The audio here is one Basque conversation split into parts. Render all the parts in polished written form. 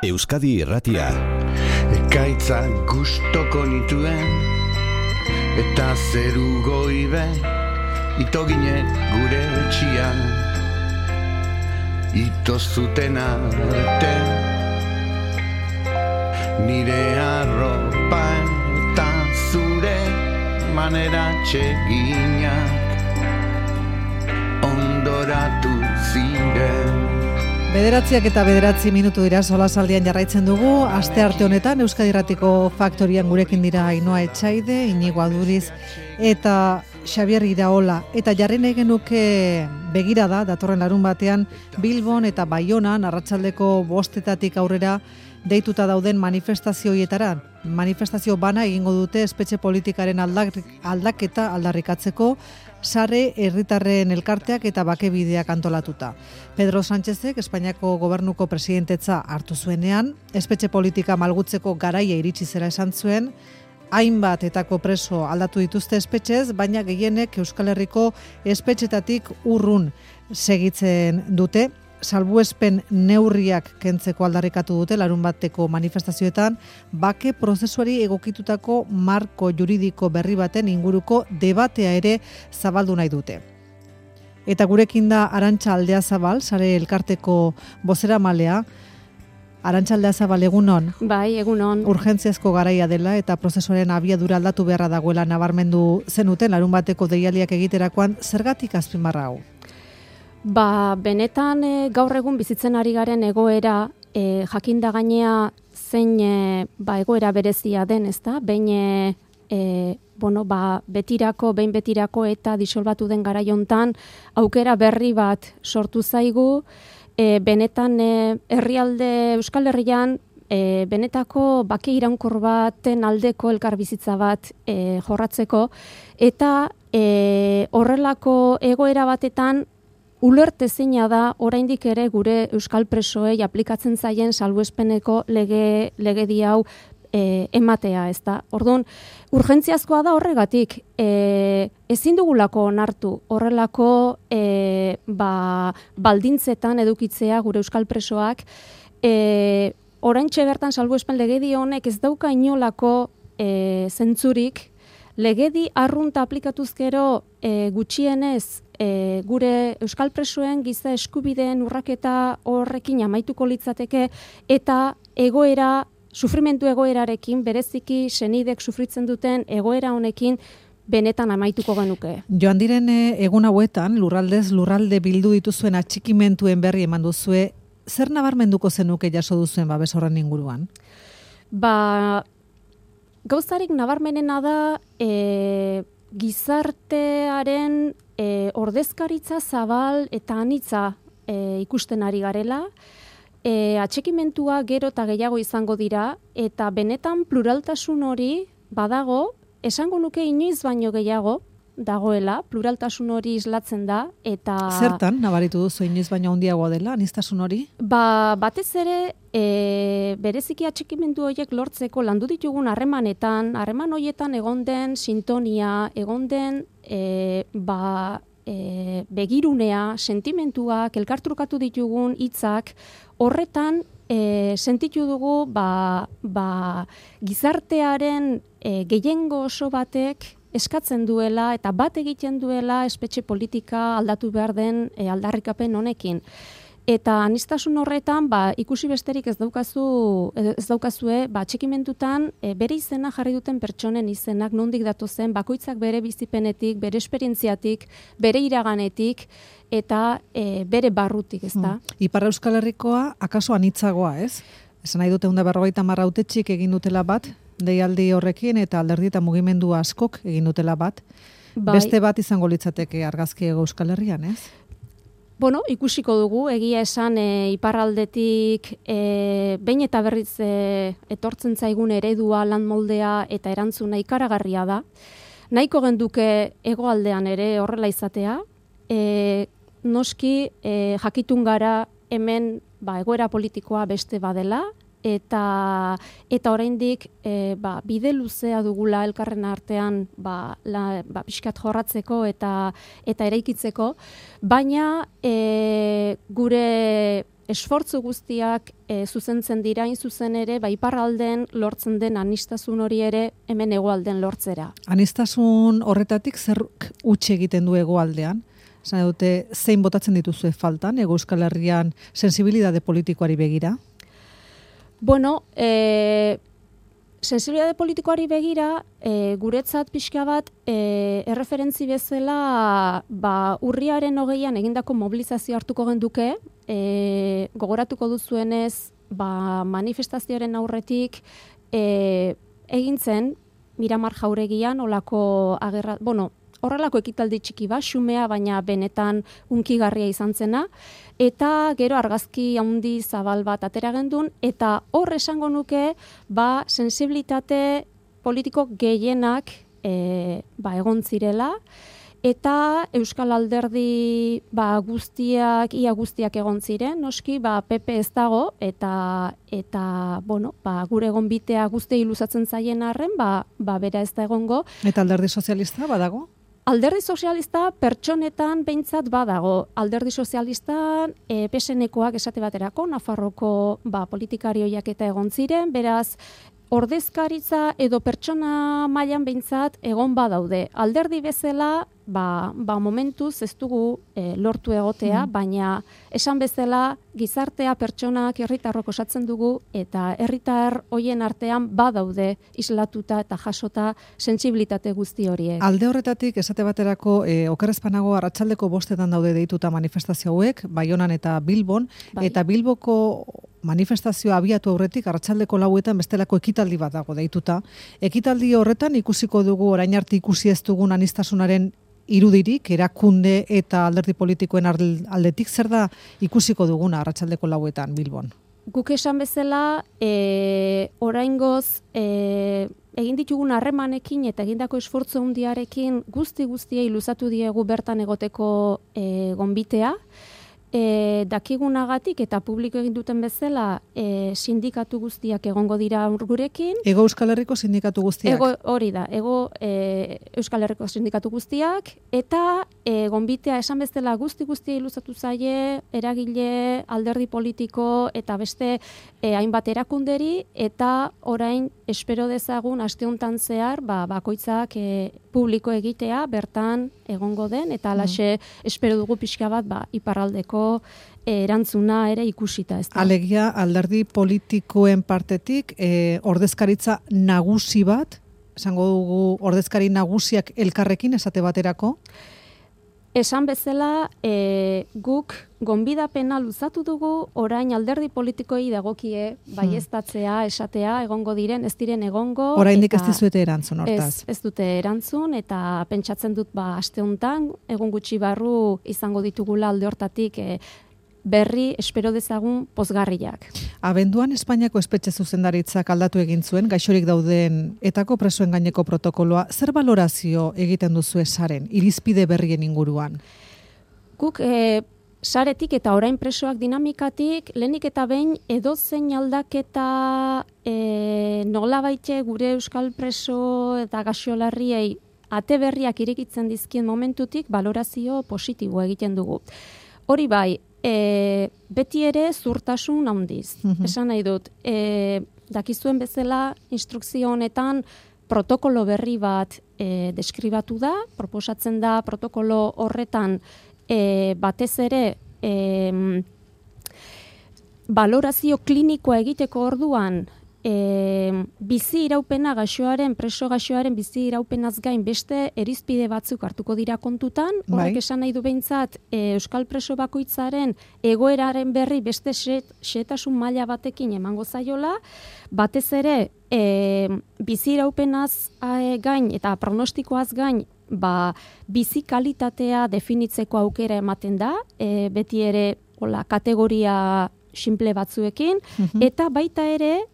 Euskadi Irratia. Ekaitzak gustoko nituen, eta zeru goibe, itoginek gure etxian. Ito zuten arte, nire arropa eta zure manera txeginak ondoratu ziren. 9:09 minutu dira solasaldian jarraitzen dugu. Astearte honetan Euskadi Irratiko Faktorian gurekin dira Ainhoa Etxaide, Iñigo Aduriz eta Xabier Iraola. Eta jarri nahi genuke begirada datorren larunbatean Bilbon eta Baionan arratsaldeko 5:00 aurrera deituta dauden manifestazioietara. Manifestazio bana egingo dute espetxe politikaren aldaketa aldarrikatzeko, sare herritarren elkarteak eta bakebideak antolatuta. Pedro Sánchezek Espainiako gobernuko presidentetza hartu zuenean, espetxe politika malgutzeko garaia iritsi zela esan zuen, hainbat etako preso aldatu dituzte espetxez, baina gehienek Euskal Herriko espetxetatik urrun segitzen dute. Salbuespen neurriak kentzeko aldarrikatu dute larunbateko manifestazioetan, bake prozesuari egokitutako marko juridiko berri baten inguruko debatea ere zabaldu nahi dute. Eta gurekin da Arantxa Aldeazabal, sare elkarteko bozeramalea. Arantxa Aldeazabal, egunon? Bai, egunon. Urgentziazko garaia dela eta prozesuaren abiadura aldatu beharra dagoela nabarmendu zenuten larunbateko deialdiak egiterakoan, zergatik azpimarra hau? Benetan gaur egun bizitzen ari garen egoera, jakinda gainea zein egoera berezia den, ezta? Behin betirako eta disolbatu den garaiontan aukera berri bat sortu zaigu, benetan Euskal Herrian benetako bake iraunkor baten aldeko elkarbizitza bat jorratzeko, eta horrelako egoera batetan ulertezina da oraindik ere gure euskal presoei aplikatzen zaien salbuespeneko legedi hau ematea, ezta. Orduan, urgentziazkoa da horregatik, ezin dugulako onartu horrelako baldintzetan edukitzea gure euskal presoak, oraintxe bertan salbuespen legedi honek ez dauka inolako zentzurik, legedi arrunta aplikatuz gero gutxienez gure euskal presoen giza eskubideen urraketa horrekin amaituko litzateke eta sufrimendu egoerarekin, bereziki senidek sufritzen duten egoera honekin benetan amaituko genuke. Joan diren egun hauetan, lurraldez lurralde bildu dituzuen atxikimentuen berri eman duzue, zer nabarmenduko zenuke jaso duzuen babes horren inguruan? Gauzarik nabarmenena da gizartearen ordezkaritza zabal eta anitza ikusten ari garela, atxikimentua gero eta gehiago izango dira, eta benetan pluraltasun hori badago, esango nuke inoiz baino gehiago dagoela, pluraltasun hori islatzen da, eta... Zertan, nabaritu duzu inoiz baino handiagoa dela, aniztasun hori? Batez ere, bereziki atxikimendu horiek lortzeko landu ditugun harreman horietan egon den sintonia, egon den begirunea, sentimentuak, elkartrukatu ditugun hitzak, horretan sentitu dugu gizartearen gehiengo oso batek eskatzen duela eta bat egiten duela espetxe politika aldatu behar den aldarrikapen honekin. Eta aniztasun horretan, ikusi besterik ez daukazue, atxikimentutan bere izena jarri duten pertsonen izenak nondik datozen, bakoitzak bere bizipenetik, bere esperientziatik, bere iraganetik, eta bere barrutik, ez da? Ipar Euskal Herrikoa, akaso anitzagoa, ez? Esan nahi dute 150 hautetxik egin dutela bat, deialdi horrekin, eta alderdi eta mugimendu askok egin dutela bat. Beste bat izango litzateke argazki Euskal Herrian, ez? Ikusiko dugu, egia esan iparraldetik behin eta berriz etortzen zaigun eredua, lan moldea eta erantzuna ikaragarria da. Nahiko genduke hegoaldean ere horrela izatea, noski jakitun gara hemen egoera politikoa beste badela, eta oraindik bide luzea dugula elkarren artean pixkat jorratzeko eta eraikitzeko, baina gure esfortzu guztiak zuzentzen dira hain zuzen ere, iparralden lortzen den anistasun hori ere hemen hegoalden lortzera. Anistasun horretatik zer huts egiten du hegoaldean? Esan dute, zein botatzen dituzue faltan, Hego Euskal Herrian sensibilitate politikoari begira? Bueno, sensibilitate politikoari begira, guretzat pixka bat, erreferentzi bezala, urriaren 20an egindako mobilizazio hartuko genduke, gogoratuko duzuenez, manifestazioaren aurretik, egin zen, Miramar Jauregian, horrelako ekitaldi txiki bat, xumea, baina benetan hunkigarria izan zena, eta gero argazki handi zabal bat atera gendun, eta hor esango nuke, sensibilitate politiko gehienak egon zirela, eta Euskal Alderdi ia guztiak egon ziren, noski, PP ez dago, eta gure gonbitea guztiei luzatzen zaien arren, bera ez da egongo. Eta Alderdi Sozialista badago? Alderdi Sozialista pertsonetan behintzat badago. Alderdi Sozialistan PSN-ekoak esate baterako, Nafarroko politikarioiak eta egon ziren, beraz, ordezkaritza edo pertsona mailan behintzat egon badaude. Alderdi bezala, momentuz ez dugu lortu egotea, baina esan bezala gizartea pertsonak herritarrok osatzen dugu eta herritar hoien artean badaude islatuta eta jasota sentsibilitate guzti horiek. Alde horretatik esate baterako okerrezpanago arratsaldeko 5etan daude deituta manifestazio hauek, Baionan eta Bilbon, eta Bilboko manifestazioa abiatu aurretik arratsaldeko 4etan bestelako ekitaldi bat dago deituta. Ekitaldi horretan ikusiko dugu orain arte ikusi ez dugun anistasunaren irudirik, erakunde eta alderdi politikoen aldetik, zer da ikusiko duguna arratsaldeko 4etan Bilbon? Guk esan bezala, oraingoz egin ditugun harremanekin eta egindako esfortzu handiarekin guztiei luzatu diegu bertan egoteko gonbitea. Dakigunagatik eta publiko egin duten bezala sindikatu guztiak egongo dira gurekin. Hego Euskal Herriko sindikatu guztiak? Hori da, Hego Euskal Herriko sindikatu guztiak, eta gonbitea esan bezala guztiei luzatu zaie, eragile, alderdi politiko eta beste hainbat erakunderi, eta orain espero dezagun aste hontan zehar bakoitzak publiko egitea bertan egongo den, eta halaxe espero dugu pixka bat iparraldeko erantzuna ere ikusita. Alegia, alderdi politikoen partetik ordezkaritza nagusi bat, esango dugu ordezkari nagusiak elkarrekin esate baterako? Esan bezala, guk gonbidapena luzatu dugu, orain alderdi politikoei dagokie baieztatzea, esatea, egongo diren, ez diren egongo. Oraindik ez dizuete erantzun, hortaz? Ez dute erantzun, eta pentsatzen dut aste hontan, egun gutxi barru izango ditugula alde hortatik berri espero dezagun pozgarriak. Abenduan Espainiako espetxe zuzendaritzak aldatu egin zuen, gaixorik dauden etako presoen gaineko protokoloa. Zer balorazio egiten duzu saren, irizpide berrien inguruan? Guk saretik eta orain presoak dinamikatik, lehenik eta behin edozein aldaketa nolabaite gure euskal preso eta gaixolarriei ate berriak irekitzen dizkien momentutik balorazio positibo egiten dugu. Hori bai, beti ere zurtasun handiz. Esan nahi dut, dakizuen bezala instrukzio honetan protokolo berri bat deskribatu da, proposatzen da protokolo horretan batez ere balorazio klinikoa egiteko orduan bizi iraupena preso gaixoaren bizi iraupenaz gain beste erizpide batzuk hartuko dira kontutan, horrek esan nahi du behintzat euskal preso bakoitzaren egoeraren berri beste xehetasun maila batekin emango zaiola, batez ere bizi iraupenaz gain eta pronostikoaz gain bizi kalitatea definitzeko aukera ematen da, beti ere kategoria simple batzuekin, eta baita ere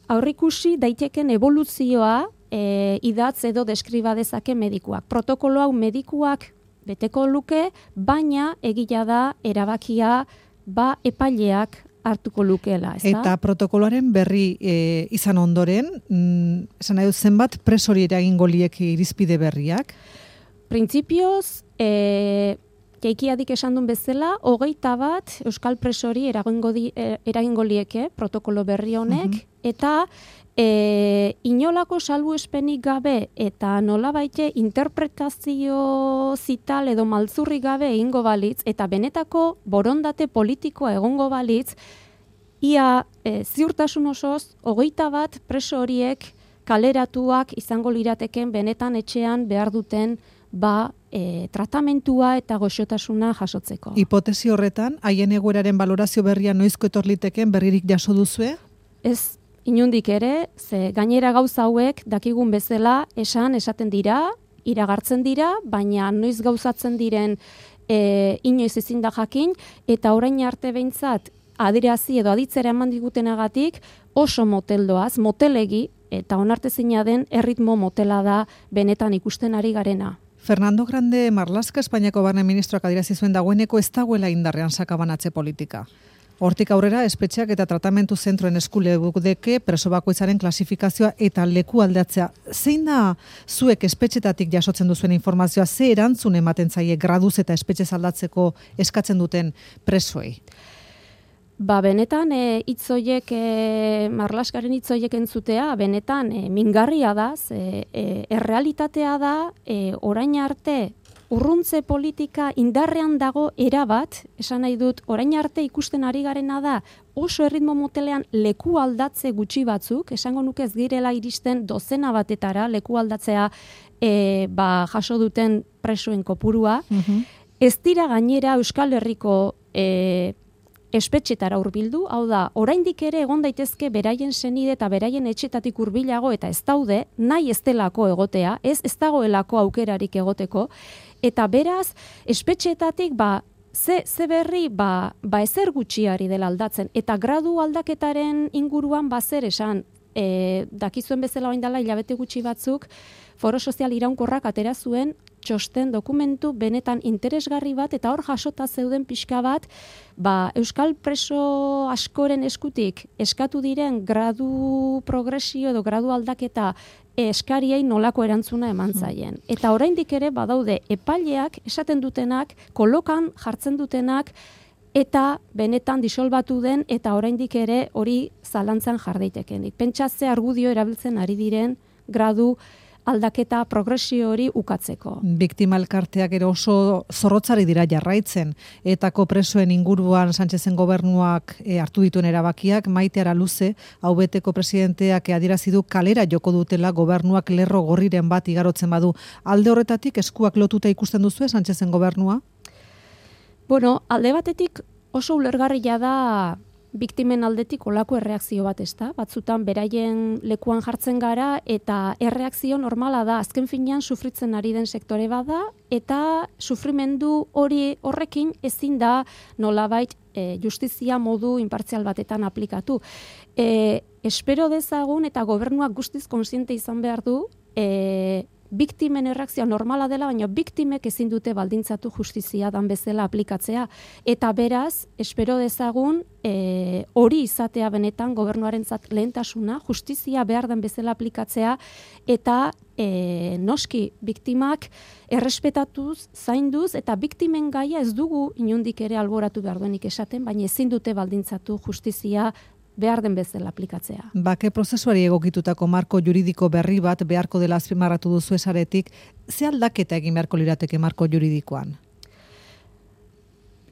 aurrikusi daiteken eboluzioa idatz edo deskriba dezake medikuak. Protokolo hau medikuak beteko luke, baina egia da erabakia epaileak hartuko lukeela, ezta? Eta protokoloaren berri izan ondoren, esan nahi dut zenbat presori eragingo lieke irizpide berriak? Printzipioz, Keikiadik esan duen bezala, 21 euskal presori eragingo lieke protokolo berri honek, eta inolako salbuespenik gabe eta nolabaite interpretazio zital edo maltzurri gabe egingo balitz, eta benetako borondate politikoa egongo balitz, ia ziurtasun osoz, 21 preso horiek kaleratuak izango lirateken benetan etxean behar duten tratamentua eta goxotasuna jasotzeko. Hipotesi horretan, haien egoeraren balorazio berria noizko etor liteken berririk jaso duzue? Ez, inundik ere, ze gainera gauza hauek dakigun bezala esaten dira, iragartzen dira, baina noiz gauzatzen diren inoiz ezin da jakin, eta orain arte behintzat adierazi edo aditzera eman digutenagatik oso moteldoaz, motelegi, eta onartezina den erritmo motela da benetan ikusten ari garena. Fernando Grande Marlaska, Espainiako barne ministroak adierazi zuen dagoeneko ez dagoela indarrean sakabanatze politika. Hortik aurrera, espetxeak eta tratamentu zentroen eskulegudeke preso bakoitzaren klasifikazioa eta leku aldatzea. Zein da zuek espetxetatik jasotzen duzuen informazioa, ze erantzun ematen zaie graduz eta espetxez aldatzeko eskatzen duten presoei? Benetan hitzoiek Marlaskaren hitzoiek entzutea benetan mingarria da, errealitatea da orain arte urruntze politika indarrean dago erabat, esan nahi dut, orain arte ikusten ari garena da oso erritmo motelean leku aldatze gutxi batzuk, esango nuke ez girela iristen dozena batetara leku aldatzea jaso duten presoen kopurua. Ez dira gainera Euskal Herriko espetxetara hurbildu, hau da, oraindik ere egon daitezke beraien senide eta beraien etxetatik hurbilago eta ez daude, nahi ez delako egotea, ez dagoelako aukerarik egoteko, eta beraz, espetxetatik ze berri ezer gutxiari dela aldatzen, eta gradu aldaketaren inguruan zer esan, dakizuen bezala orain dela hilabete gutxi batzuk, Foro Sozial Iraunkorrak atera zuen txosten dokumentu benetan interesgarri bat, eta hor jasota zeuden pixka bat, euskal preso askoren eskutik eskatu diren gradu progresio edo gradu aldaketa eskariei nolako erantzuna eman zaien. Eta oraindik ere badaude epaileak esaten dutenak, kolokan jartzen dutenak, eta benetan disolbatu den, eta oraindik ere hori zalantzan jar daitekenik. Pentsa ze argudio erabiltzen ari diren gradu aldaketa progresio hori ukatzeko. Biktima elkarteak ere oso zorrotzari dira jarraitzen, etako presoen inguruan Sánchezen gobernuak hartu dituen erabakiak, Maite Araluze, hau beteko presidenteak adierazi du kalera joko dutela gobernuak lerro gorriren bat igarotzen badu. Alde horretatik eskuak lotuta ikusten duzu Sánchezen gobernua? Alde batetik oso ulergarria da biktimen aldetik olako erreakzio bat, ezta? Batzutan beraien lekuan jartzen gara eta erreakzio normala da, azken finean sufritzen ari den sektore bada, eta sufrimendu horrekin ezin da nolabait justizia modu inpartzial batetan aplikatu. Espero dezagun eta gobernuak guztiz kontziente izan behar du, biktimen erreakzioa normala dela, baina biktimek ezin dute baldintzatu justizia dan bezala aplikatzea. Eta beraz, espero dezagun, hori izatea benetan gobernuarentzat lehentasuna, justizia behar den bezala aplikatzea, eta noski biktimak errespetatuz, zainduz, eta biktimen gaia ez dugu inondik ere alboratu behar duenik esaten, baina ezin dute baldintzatu justizia behar den bezala aplikatzea. Bake prozesuari egokitutako marko juridiko berri bat beharko dela azpimarratu duzu esaretik, ze aldaketa egin beharko lirateke marko juridikoan?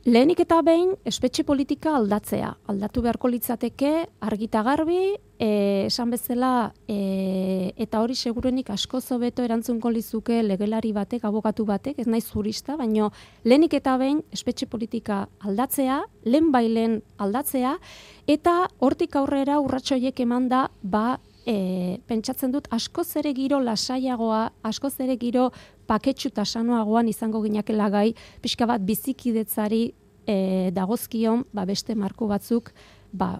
Lehenik eta behin, espetxe politika aldatzea. Aldatu beharko litzateke argita garbi, esan bezala, eta hori segurenik asko hobeto erantzungo lizuke legelari batek, abokatu batek, ez naiz jurista, baina lehenik eta behin espetxe politika aldatzea, lehen aldatzea, eta hortik aurrera urratsoiek eman da, pentsatzen dut askoz ere giro lasaiagoa, askoz ere giro paketxu eta sanoagoan izango ginakela gai, pixka bat bizikidetzari dagozkion beste marko batzuk,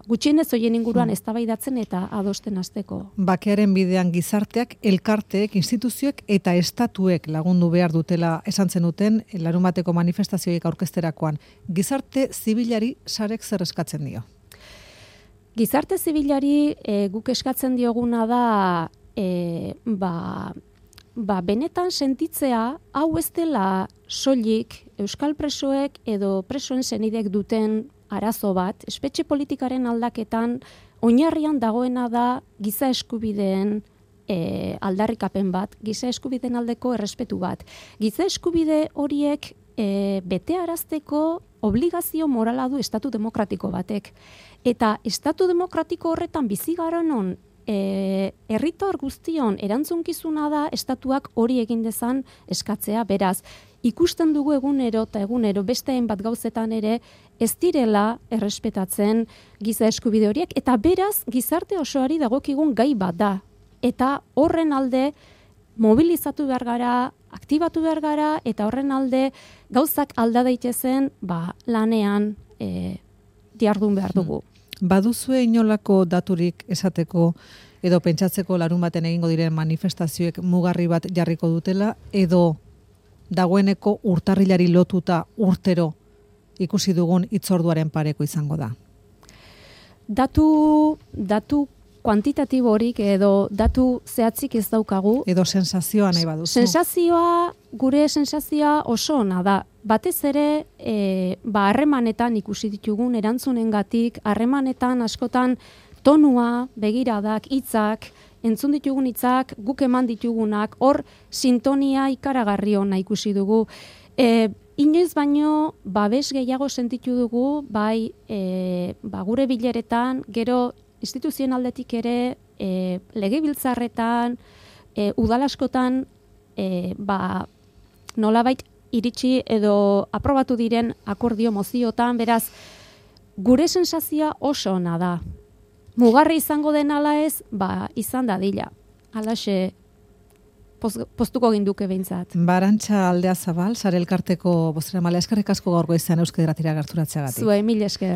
gutxienez horien inguruan eztabaidatzen eta adosten hasteko. Bakearen bidean gizarteak, elkarteek, instituzioek eta estatuek lagundu behar dutela esan zenuten larunbateko manifestazioek aurkezterakoan. Gizarte zibilari sarek zer eskatzen dio? Gizarte zibilari guk eskatzen dioguna da benetan sentitzea hau ez dela soilik euskal presoek edo presoen senidek duten arazo bat, espetxe politikaren aldaketan oinarrian dagoena da giza eskubideen aldarrikapen bat, giza eskubideen aldeko errespetu bat. Giza eskubide horiek betearazteko obligazio morala du estatu demokratiko batek. Eta estatu demokratiko horretan bizi garenon herritar guztion erantzunkizuna da estatuak hori egin dezan eskatzea. Beraz, ikusten dugu egunero eta egunero beste hainbat gauzetan ere ez direla errespetatzen giza eskubide horiek, eta beraz gizarte osoari dagokigun gai bat da. Eta horren alde mobilizatu behar gara, aktibatu behar gara, eta horren alde gauzak alda daitezen lanean diardun behar dugu. Baduzue inolako daturik esateko edo pentsatzeko larun baten egingo diren manifestazioek mugarri bat jarriko dutela, edo dagoeneko urtarrilari lotuta urtero ikusi dugun hitzorduaren pareko izango da? Datu kuantitatiborik edo datu zehatzik ez daukagu. Edo sensazioa nahi baduzu? Gure sensazioa oso ona da. Batez ere, harremanetan ikusi ditugun erantzunengatik, harremanetan askotan tonua, begiradak, hitzak, entzun ditugun hitzak, guk eman ditugunak, hor sintonia ikaragarri ona ikusi dugu. Inoiz baino, babes gehiago sentitu dugu, gure bileretan, gero instituzionaldetik ere, legebiltzarretan, udalaskotan, nolabait iritsi edo aprobatu diren akordio moziotan, beraz, gure sensazioa oso ona da. Mugarri izango den ala ez, izan dadila. Halaxe postuko ginduke behintzat. Arantxa Aldea Zabal, Sare Elkarteko bozeramailea, eskerrik asko gaurko izan Euskadi Irratira gerturatzeagatik. Zuei, mil esker.